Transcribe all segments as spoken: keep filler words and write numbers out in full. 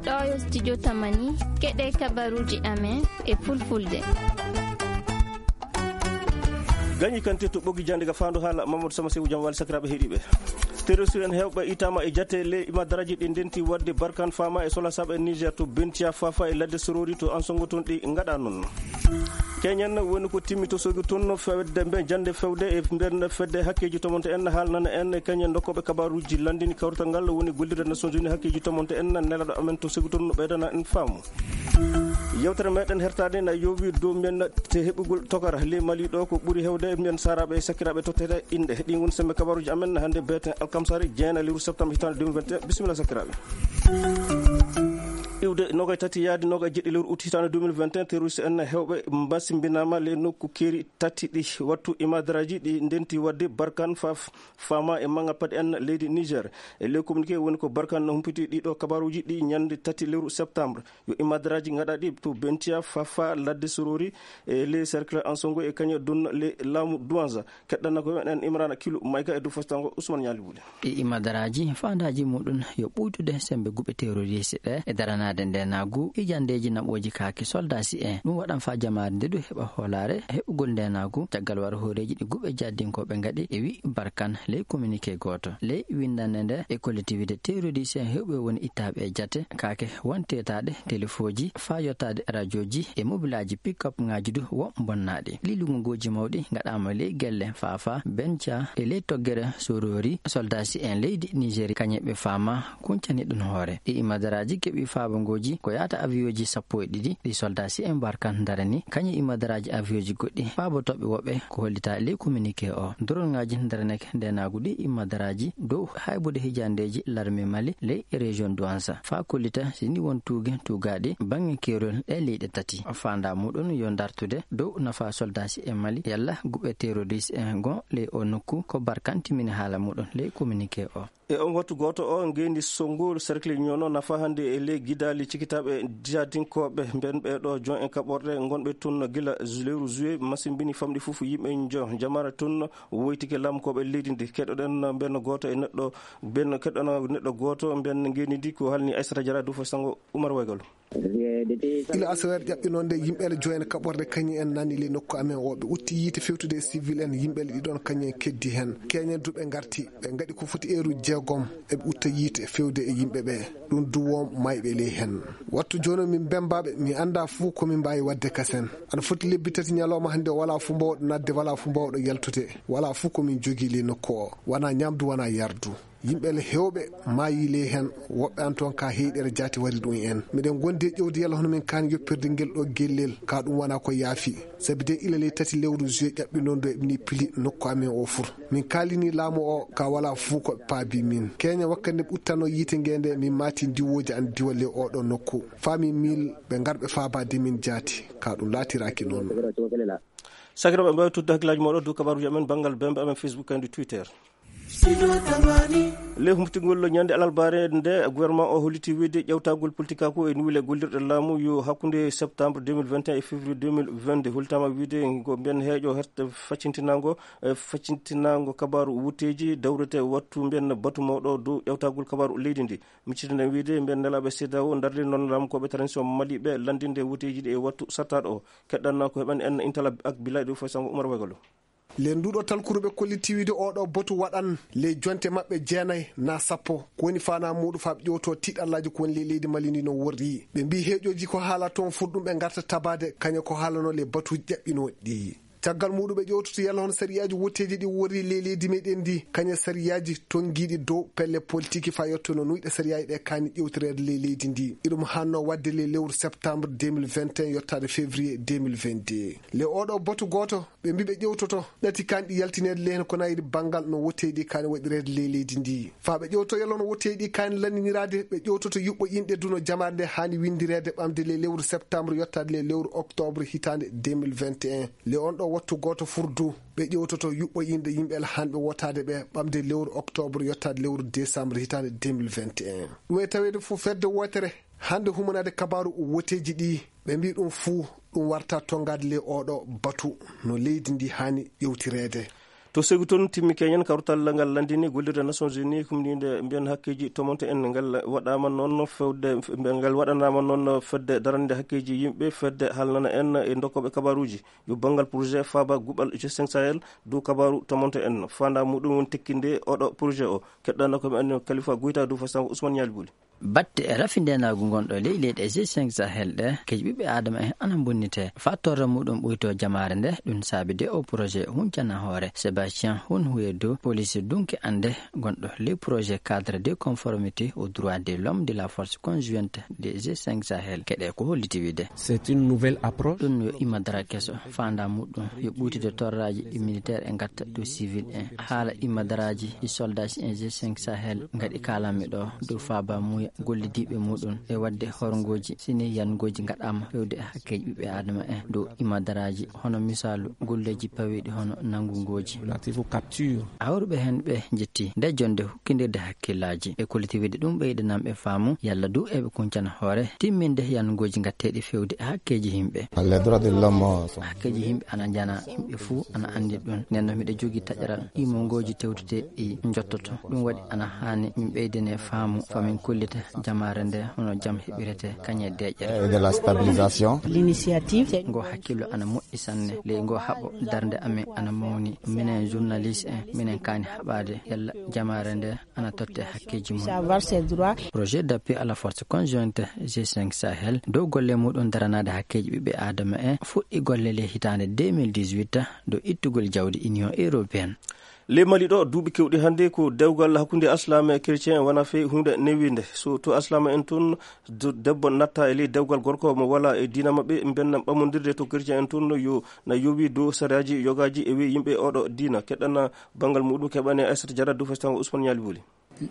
Ɗo yo studio Tamani, keɗe kabaruji amen e fulfulde. Gañi kante to ɓoggi jande ga fandu haala Mamadou Sama Sewu, jam wali sakiraɓe heɗiɓe. Terroriste en hewɓe itama e jate le imadaraji ɗi ndenti wadde Barkan Fama e Sola Saba e Niger to Bentia Fafa e ladde Sorori to Ansongo, toon ɗi ngaɗa noon. Keñen woni ko timmi to Sogi toon, fedde mbe jande fewde e nder fedde hakkeji tomonte en, haalnana en keñen dokkoɓe kabaruji landini kawrital ngal woni gollirde Nations Unies hakkeji tomonte en, nelaɗo amen to Sogi toon no ɓeydana en faamu. Yewtere meɗen hertade na yowi dow men te heɓugol tokara ley Mali ɗo ko ɓuri hewde men saraɓe e sakiraɓe tottete inɗe. Ɗin woni sembe kabaruji amen hande beten alkamsari jeena lewru septembre hitande deux mille vingt et un. Bisimilla sakiraɓe. Iwde nogay tati yaadi nogay jeɗɗi lewru août hitande deux mille vingt et un, terroriste en hewɓe mbasimbinama le nokku keeri tati ɗi wattu imadaraji ɗi ndenti wadde Barkan Faf-, Fama e Manga Pad en leydi Niger. E ley communiqué woni ko Barkan no humpiti ɗiɗo kabaruji ɗi ñande tati lewru septembre. Yo imadaraji ngaɗa ɗi to Bentia, Fafa, ladde Sorori, e ley cercle Ansongo e kaña dun le laamu Douanza. Keɗɗana ko en Imrana Kilu, Mayka e Dufos Tango, Ousmane Ñaali Wuli. Ɗi imadaraji faandaji muɗum yo ɓuytude sembe guɓe terroriste ɗe e daranaade ndenagu e jandeji naɓoji kaaki soldasi en. Ɗum waɗan fa jamaare nde du heɓa hoolaare heɓugol ndenagu caggal wara hooreji ɗi guɓe jaddinkoɓe ngaɗi e wi Barkan ley communiqué gooto. Ley windande nde e collectivité terroriste en hewɓe woni ittaɓe e jate kaake won tetaɗe telefoji fa yottade radioji e mobilaji pick-up ngaji du won bonnaɗi. Ɗi lungogoji mawɗi ngaɗama ley gelle Fafa, Bentia e ley toggere Sorori. Soldasi en leydi Nigeria kañe ɓe fama kuncani ɗum hoore. Ɗi imadaraji keɓi fabangoji ko yata avion ji sappo e ɗiɗi ɗi soldasi en Barkan darani kañe imadaraji avion ji goɗɗi fabotoɓe woɓɓe ko hollita ley communiqué o. Drone ngaji daraneke ndenagu ɗi imadaraji dow haybude hijandeji larme Mali ley région Douanza fa kollita sini won tuuge tugaɗi bange kerol e leyɗe tati. Fanda muɗum yo dartude dow nafa soldasi e Mali yalla guɓe terroriste en gon ley o nokku ko Barkan timini haala muɗum ley communiqué o. E on wattu gooto o, ngeendi so ngol cercle ñoono nafa hannde e ley gidaali cikitaaɓe jihadinkoɓe mben ɓeeɗo jon e kaɓorɗe ngonɓe tun gila lewru juillet masimbini famɗi fof yimɓe jo jamara tun woytike lamkoɓe leydi ndi. Keɗoɗen mben gooto e neɗɗo, ben keɗɗono neɗɗo gooto mben ngeendi ndi ko halni Aissata Diarra Dufo Sango Oumar Waygalu. Ila asaweere ƴaɓɓinoonde, yimɓe ene joyna kaɓorde kañum en nani ley nokku amen o. Ɓe utti yiite fewtude e civil en, yimɓe ɗiɗon kañum en keddi heen. Keñen du ɓe ngarti, ɓe ngaɗi ko foti eeruji jeegom, eɓe utta yiite fewde e yimɓe ɓe. Ɗum du won mayɓe ley heen. Wattu jooni min mbembaɓe, mi annda fuu ko min mbaawi waɗde kasen. Aɗa foti lebbi tati ñalawma hannde, walaa fuu mbawɗo nadde, walaa fuu mbawɗo yaltude, walaa fuu ko min jogii ley nokku o, wonaa ñaamdu, wonaa yardu. Yimɓe le heewɓe maayi ley heen, woɓɓe an toon ka heyɗere jaati wari ɗum en. Miɗen ngondi e ƴewde yalla hono min kaani yoppirde ngel ɗo gellel, ka ɗum wona ko yaafi. Sabi de ila ley tati lewru juillet ƴaɓɓi noon ɗo eɓe ni pili nokku amen o fur. Min kaalini laamu o ka wala fuu ko ɓe paabi min. Keña wakkati nde ɓuttano yiite nge nde min maati ndiwooji an diwa ley oɗo nokku. Faa min mil ɓe ngar ɓe faabade min jaati. Ka ɗum laatiraaki noon. Sakiraaɓe, mbaawi tudde hakkillaaji mooɗon dow kabaruuji amen banngal bembe amen Facebook kadi Twitter. Ley humtingol ñande alarbaare nde, gouvernement o holliti wiide ƴewtagol politikaaku e nuwile gollirɗe laamu yo hakkunde septembre deux mille vingt et un e février deux mille vingt-deux. Hollitama wiide ko mben heeƴo herte faccintinango, e faccintinango kabaru wutteeji dawrete wattu mben batu mawɗo dow ƴewtagol kabaru leydi ndi. Miccitinen wiide mben nelaaɓe CEDEAO darde noon laamu ko ɓe transition Mali ɓe landinde wutteeji ɗi e wattu sartaɗo o. Keɗɗanno ko heɓan en intala ak bilay ɗo foy sango Umar Wegalo. Len nduɗo talkuru ɓe kolliti wiide oɗo botu waɗan ley jonte maɓɓe jeenay na sappo. Ko woni fana muɗum fa ɓe ƴewto tiɗallaji ko woni ley leydi Mali ndi no worri. Ɓe mbi heeƴoji ko haala toon fur ɗum ɓe ngarta tabade kaña ko haalano le batuji ƴaɓɓinoɗi. Caggal muɗum ɓe ƴewtoto yalla hono sariyaji wotteji ɗi worri ley leydi meɗen ndi, kaña sariyaji tongiɗi dow pelle politiki fa yetto no nuyɗe sariyaji ɗe kani ƴewtoreede ley leydi ndi. Iɗum hanno wadde ley lewru septembre deux mille vingt et un yottade février deux mille vingt-deux. Le oɗo botu goto ɓe mbi ɓe ƴewtoto ɗati kanɗi yaltineede ley heen ko nayri banngal no wotteeɗi kaani waɗireede ley leydi ndi. Faa ɓe ƴewto yalla no wotteeɗi kaani lanndiniraade, ɓe ƴewtoto yuɓɓo inɗe duno jamaare nde haani winndireede ɓamde ley lewru septembre yottaade ley lewru octobre hitaande deux mille vingt et un. Le on ɗo wattu gooto furdu, ɓe ƴewtoto yuɓɓo inɗe yimɓe alhanɓe wotaade ɓe ɓamde lewru octobre yottaade lewru décembre hitaande deux mille vingt et un. Ɗum e taweede fof fedde wootere hannde humanaade kabaaru wotteeji ɗi. Ɓe mbi ɗum fuu ɗum warta tongaade ley oɗo batu no leydi ndi haani ƴewtireede. To segu toon timmi keñen kawtal ngal lanndini gollirde Nations Unies humniinde mbiyen hakkeeji tomonto en ngal waɗaama noon fewde, ngal waɗanaama noon fedde darande hakkeeji yimɓe, fedde haalnana en e dokkooɓe kabaaruuji yo banngal projet faaba guɓal G cinq Sahel dow kabaaru tomonto en. Faandaa muɗum woni tekkinde oɗo projet o. Keɗɗana ko mi anndi Kalifa Goyta dow fasango Ousmane Ñaali Buli. Batte e rafi ndeenaagu ngonɗo ley leyɗe G cinq Sahel ɗe, keji ɓiɓɓe Aadama en ana mbonnitee. Faa torra muɗum ɓuytoo jamaare nde, ɗum saabi de o projet huncana hoore. Sébastien Hun Huedo, police dunke annde, gonɗo ley projet cadre de conformité aux droits de l'homme de la force conjointe de G cinq Sahel. Keɗe ko holliti wiide. C'est une nouvelle approche. Ɗum yo imadara keso, faandaa muɗum yo ɓuytude torraaji ɗi militaire e ngatta dow civil en. Haala imadaraaji ɗi soldaaji en G cinq Sahel ngaɗi kaalanmi ɗo dow faaba muuya gollidiiɓe muɗum e waɗde horngooji sini yangooji ngaɗaama fewde e hakkeeji ɓiɓɓe Aadama en dow imadaraaji, hono misaalu golleeji pawiiɗi hono nanngungooji. Relative aux captures. Hawruɓe heen ɓe njetti nde jonnde hukkindirde hakkillaaji e koliti wiide ɗum ɓeydanam ɓe faamu yalla du eɓe kuncana hoore timminde yangooji ngatteeɗi fewde e hakkeeji yimɓe. Les droits de l'homme sont... Hakkeeji yimɓe ana njana, yimɓe fuu ana anndi ɗum. Nden noon miɗo jogii taƴaral imongooji tewtude ɗi njottoto. Ɗum waɗi ana haani min ɓeydane faamu, faa min kollita jamaare nde hono jam heɓirete kañe deeƴere. Et de la stabilisation. L'initiative. Ngo hakkillo ana moƴƴi sanne. Ley ngo haɓo darnde amen ana mawni. Minen journaliste en, minen kaani haɓaade yalla jamaare nde ana totte hakkeeji mum. Savoir ses droits. Projet d'appui à la force conjointe G cinq Sahel dow golle muɗum daranaade hakkeeji ɓiɓɓe Aadama en fuɗɗi golle ley hitaande deux mille dix-huit dow ittugol jawdi Union Européenne. Ley Mali ɗo, duuɓi keewɗi hannde ko dewgal hakkunde Alsilaame e Chrétien wona fey huunde newinde. So to Alsilaame en toon, do-, debbo natta e ley dewgal gorko mo wala e diina maɓɓe, mbenna ɓamondirde to Chrétien en toon yo na yowi dow sariyaaji yogaaji e weyi yimɓe oɗo diina. Keɗɗana banngal muɗum keɓane Aissata Diarra dow fastango Ousmane Ñaali Buli.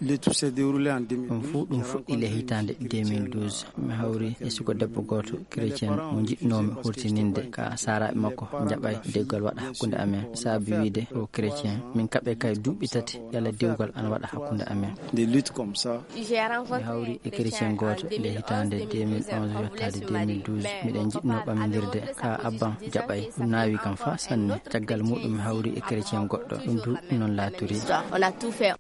L'étude s'est déroulée en deux mille douze. Ɗum fuu ɗum fuɗɗi le hitaande deux mille douze. Mi hawri e suko debbo gooto chrétien mo njiɗnoomi hurtininde ka saaraaɓe makko njaɓay dewgal waɗa hakkunde amen. Saabi wiide o chrétien, min kaɓe kay duuɓi tati yalla dewgal ana waɗa hakkunde amen. Des luttes comme ça. Mi hawri e chrétien gooto le hitaande deux mille onze yottaade deux mille douze. Miɗen njiɗnoo ɓamindirde ka abban jaɓay. Ɗum naawi kam faa sanne. Caggal muɗum mi hawri e chrétien goɗɗo. Ɗum du noon laatiri.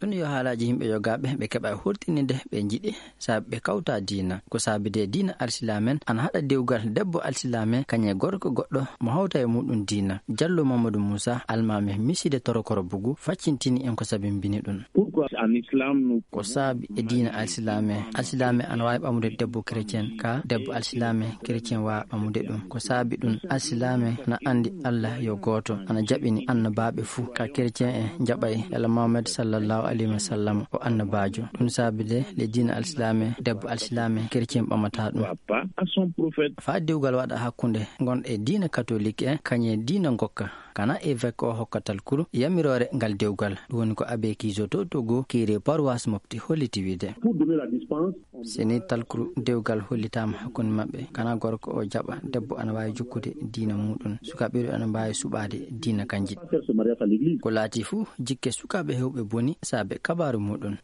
Ɗum yo haalaaji yimɓe yogaaɓe ɓe keɓa hurtininde ɓe njiɗi saabi ɓe kawta diina. Ko saabi de diina alsilamen ana haɗa dewgal debbo alsilamen kañe gorko goɗɗo mo hawta e muɗum diina. Jallo Mamadou Moussa, almaami miside torokoro bugu, faccintini en ko sabimbini ɗum. Pourquoi en islam nous... Ko saabi e diina alsilamen, alsilamen ana waawi ɓamude debbo chrétien ka debbo alsilamen chrétien waawa ɓamude ɗum. Ko saabi ɗum alsilamen na anndi Allah yo gooto, ana jaɓini annabaaɓe fuu. Ka chrétien en jaɓay yalla Mohammed sallallahu alayhi wa sallam o annabaajo. Ɗum saabi de le diina alsilamen debbo alsilamen chrétien ɓamata ɗum. Pas à son prophète. Faa dewgal waɗa hakkunde ngon e diina katolik en kañe diina ngokka. Kana évêque o hokka talkuru yamiroore ngal dewgal. Ɗum woni ko abbé Kizo to Togo, curé paroisse Mopti holliti wiide. Pour donner la dispense, on... Sini talkuru dewgal hollitaama hakkunde maɓɓe, kana gorko o jaɓa, debbo ana waawi jokkude diina muɗum. Sukaaɓe ɓe ana mbaawi suɓaade diina kanji. Faire ce mariage à l'église. Ko laati fuu, jikke sukaaɓe heewɓe boni saabe kabaaru muɗum.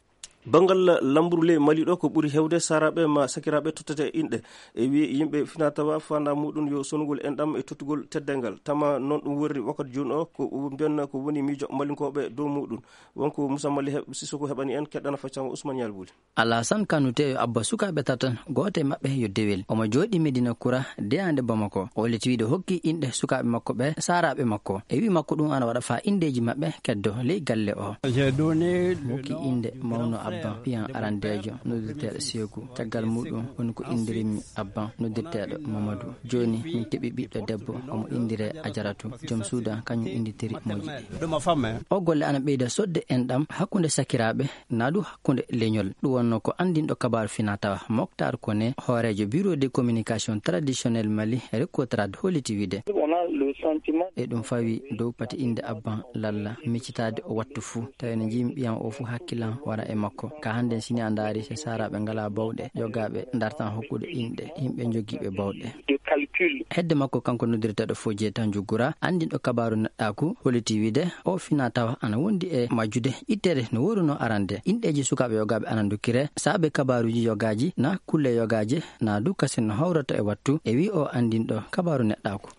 Banngal lamburu ley Mali ɗo, ko ɓuri heewde saaraaɓe ma sakiraaɓe tottete e inɗe. E wi yimɓe fina tawa fanda muɗum yo sonugol enɗam e tottugol teddengal. Tama noon ɗum worri wakkati jooni o, ko mbiyanna ko woni miijo Malinkooɓe dow muɗum. Wonko Moussa Mali heɓ-, Sissoko heɓani en, keɗɗana faccango Ousmane Yalbuli. Alhassane Kanouté yo abba sukaaɓe tata, gooto e maɓɓe yo Dewel. Omo jooɗii Medina Kura, deyaande Bamako. O holliti wiide hokki inɗe sukaaɓe makko ɓe, saaraaɓe makko. E wi makko ɗum ana waɗa faa inndeeji maɓɓe keddo ley galle o. J'ai donné le... Hokki innde mawno abban, piyan arandeejo, noddirteeɗo Seeku. Caggal muɗum woni ko inndirimmi abban, noddirteeɗo Mamadou. Jooni min keɓi ɓiɗɗo debbo, omo inndiree Ajaratu. Joom suudu am, kañum innditiri moƴƴi. De ma femme, hein. O golle ana ɓeyda sodde enɗam hakkunde sakiraaɓe, naa du hakkunde leñol. Ɗum wonno ko anndinɗo kabaaru fina tawa Moctar Koné, hooreejo Bureau de communication traditionnel Mali, Recotrad, holliti wiide. On a le sentiment... E ɗum fawi dow pati innde abban lalla, miccitaade o wattu fuu. Tawi no njiimi ɓiyam o fuu hakkilan wara e makko. Ka hannde sini a ndaari, so saaraaɓe ngalaa bawɗe, yogaaɓe ndartan hokkude inɗe yimɓe njogiiɓe bawɗe. De calcul. Hedde makko kanko noddirteeɗo Fodje Tanjugura, anndinɗo kabaaru neɗɗaaku, holliti wiide o fina tawa ana wondi e majjude ittere no woruno arande. Inɗeeji sukaaɓe yogaaɓe ana ndokkire saabe kabaaruuji yogaaji na kulle yogaaje na du kasen no hawrata e wattu, e wi o anndinɗo kabaaru neɗɗaaku.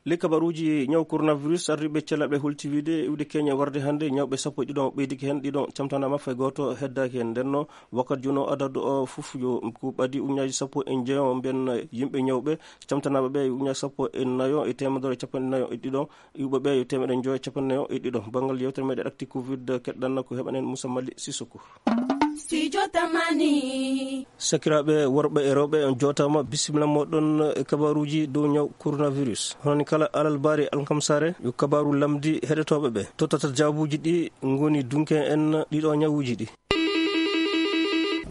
Ley kabaruuji ñaw coronavirus, ardiiɓe cellal ɓe holti wiide iwde keñe warde hannde, ñawɓe sappo e ɗiɗo ɓeydike heen, ɗiɗo camtanaama, fay gooto heddaaki heen. Ndennoo, wakkati jooni o, adadu o fof yo ko ɓadii ujunnaaji sappo e njeyo mbiyen yimɓe ñawɓe, camtanaaɓe ɓe ujunnaaji sappo e nayo e teemedere e capanɗe nayo e ɗiɗo, iwɓe ɓe yo teemedere njoyo e capanɗe nayo e ɗiɗo. Banngal yeewtere meɗen Actu Covid keɗɗanno ko heɓanen Moussa Mali Sissoko. Studio Tamani. Sakiraaɓe worɓe e rewɓe, on jootaama, bisimilla mooɗon e kabaruuji dow ñaw coronavirus. Hono ni kala alarbaare alkamsaare, yo kabaaru lamndi heɗotooɓe ɓe. Tottata jaabuuji ɗi ngoni dunke en ɗiɗo ñawuuji ɗi.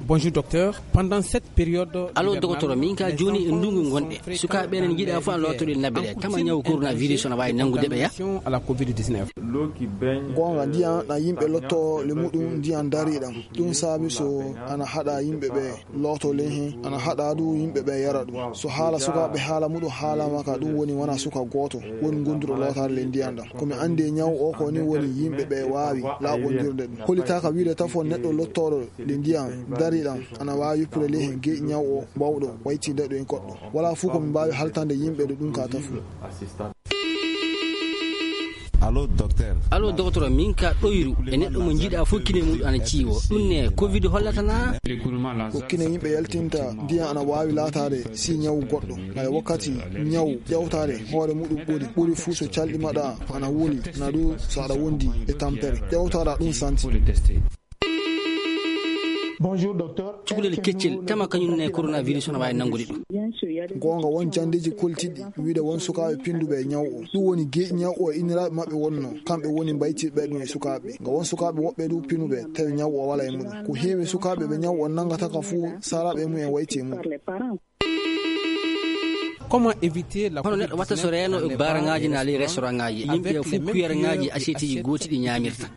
Bonjour docteur, pendant cette période... Allo, hivernale, dogotoro, min ka jooni e ndungu ngonɗe, sukaaɓe ɓe ene njiɗa fof lottoɗe naɓɓe ɗe, tama ñaw coronavirus ene waawi nanngude ɓe ya? À la covid dix-neuf. Goonga, ndiyan na yimɓe lotto le muɗum ndiyan dariɗam. Ɗum saabi so ana haɗa yimɓe ɓe looto ley heen, ana haɗa du yimɓe ɓe yara ɗum. So haala sukaaɓe haala muɗum haalama ka, ɗum woni wona suka gooto woni gonduɗo lootaade le ndiyan ɗam. Ko mi anndi e ñaw o ko ni woni yimɓe ɓe waawi laaɓondirde ɗum. Hollitaaka wiide tafo neɗɗo lottooɗo le ndiyan dariɗam ana waawi yuppude ley heen geeƴi ñaw o bawɗo waytinde ɗum e goɗɗo. Wala fuu ko min mbaawi haltande yimɓe ɗo ɗum ka tafu. Allo, docteur. Allo, dogotoro, min ka ɗoyru e neɗɗo mo njiɗa fof kine mum ana ciwo. Ɗum ne covid hollatana? Ko kine yimɓe yaltinta ndiyan ana waawi laataade si ñaw goɗɗo. Hay wakkati ñaw ƴawtaade hoore muɗum ɓuri, ɓuri fuu so calɗi maɗa ana wuli, na du so aɗa wondi e tampere. Ƴawtaɗa ɗum santi. Bonjour, docteur. Cukalel keccel, tama kañum ne coronavirus ene waawi nanngude ɗum. Goonga, won janndeeji koltiɗi wiide won sukaaɓe pinnduɓe e ñaw o. Ɗum woni geeƴi ñaw o e inniraaɓe maɓɓe wonno. Kamɓe woni mbaytirɓe ɗum e sukaaɓe. Nga won sukaaɓe woɓɓe du pinuɓe, tawi ñaw o wala e muɗum. Ko heewi sukaaɓe ɓe ñaw o nanngata ka fuu, saraaɓe e mumen wayti e muɗum. Comment éviter la... Hono neɗɗo watta so reeno e baaraŋaaji na ley restaurantŋaaji, yimɓe fof kuyaraŋaaji, assietteuji gooti ɗi ñaamirta?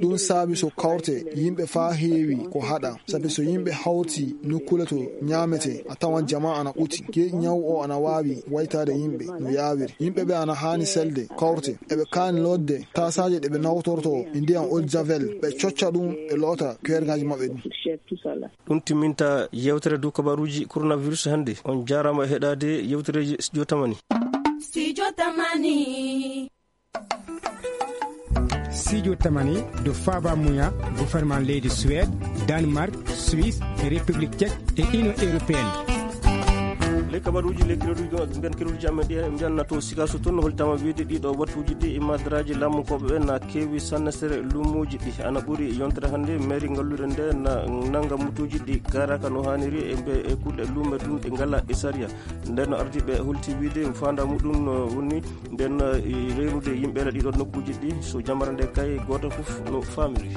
Ɗum saabi so kawte yimɓe faa heewi ko haɗa, sabi so yimɓe hawti nokkuule to ñaamete, a tawan jamaa ana ɓuti. Geeƴi ñaw o ana waawi waytaade yimɓe no yaawiri. Yimɓe ɓe ana haani selde, kawte, eɓe kaani lootde taasaaje ɗe ɓe nawtorto e ndiyan eau de javel, ɓe cocca ɗum, ɓe loota kuyaraŋaaji maɓɓe ɗum. Ɗum timminta yeewtere dow kabaruuji coronavirus hannde. On jaaraama e heɗaade yeewtereeji Studio Tamani. Studio Tamani. Studio Tamani, ɗo faaba muya gouvernement leydi Suède, Danemark, Suisse, République Tchèque et Union européenne. Ley kabaruuji, ley keroɗuuji, ɗo mbiyan keroɗuuji amen ɗi, en mbiyan na to Sikaso toon, no hollitaama wiide ɗiɗo wattuuji ɗi, imadaraaji laamu ko ɓe na keewi sanne sere luumuuji ɗi. Ana ɓuri yontere hannde, mairie ngalluure nde na nannga mutuuji ɗi gaaraaka no haaniri e mbe, e kulle luume ɗum ɗe ngala e sariya. Nden no ardiiɓe holti wiide faanda muɗum no woni nden, e reyrude yimɓe e ɗiɗo nokkuuji ɗi, so jamara nde kay gooto fof no faamiri.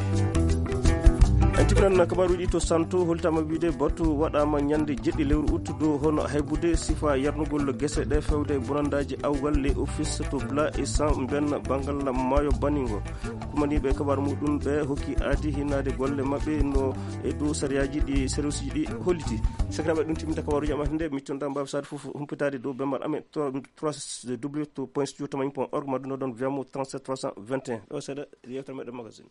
En tipinan kabaruuji to Santo, holtama wiide batu waɗama ñande jeɗɗi lewru août dow hono haybude sifa yarnugol gese ɗe fewde bonandaaji awgal les offices to Bla e San Mbenn banngal maayo Baningo. Kumaniiɓe kabaru muɗum ɓe hokki aadi hinnaade golle maɓɓe no e dow sariyaaji ɗi service ji ɗi holliti. Sakiraaɓe, ɗum timminta kabaruuji am hannde, mi tonda mbaawi saade fof humpitaade dow bemmal amen, trois, trois, w w w point studio tamani point org, ma ɗum ɗon via mo trente-sept trois cent vingt et un. Ɗo seeɗa, yeewtere meɗen magazine.